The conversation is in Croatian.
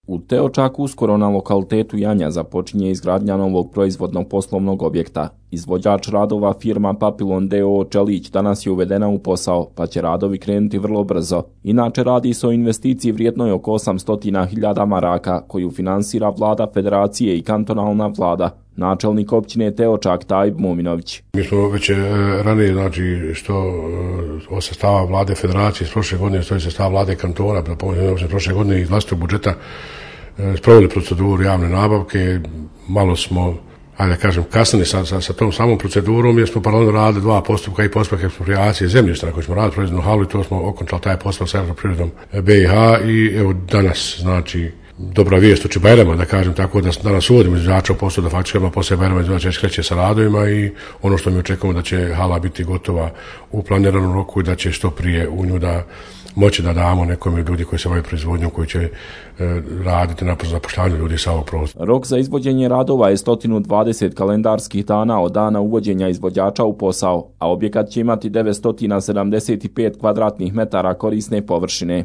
U Teočaku uskoro na lokalitetu Janja započinje izgradnja novog proizvodnog poslovnog objekta. Izvođač radova firma Papilon d.o.o. Čelić danas je uvedena u posao, pa će radovi krenuti vrlo brzo. Inače radi se o investiciji vrijednoj oko 800.000 maraka, koju finansira vlada federacije i kantonalna vlada. Načelnik općine Teočak Tajib Mominović. Mi smo već ranije, što od sredstava vlade federacije iz prošle godine, iz sredstava vlade kantona, prošle godine iz vlastitog budžeta sproveli proceduru javne nabavke. Malo smo, kasnili sa tom samom procedurom, jer smo paralelno radili dva postupka i postupak eksproprijacije zemljišta na koji smo radili proizvodnu halu i to smo okončali taj postupak sa Elektroprivredom BiH i evo danas, dobra vijest uči Bajrama, tako da danas uvodimo izvođača u poslu, da faktički odmah poslije Bajrama izvođač već kreće sa radovima i ono što mi očekujemo da će hala biti gotova u planiranom roku i da će što prije u nju da moći da damo nekom ljudi koji se bave proizvodnjom, koji će raditi na zapošljavanju ljudi sa ovog prostora. Rok za izvođenje radova je 120 kalendarskih dana od dana uvođenja izvođača u posao, a objekat će imati 975 kvadratnih metara korisne površine.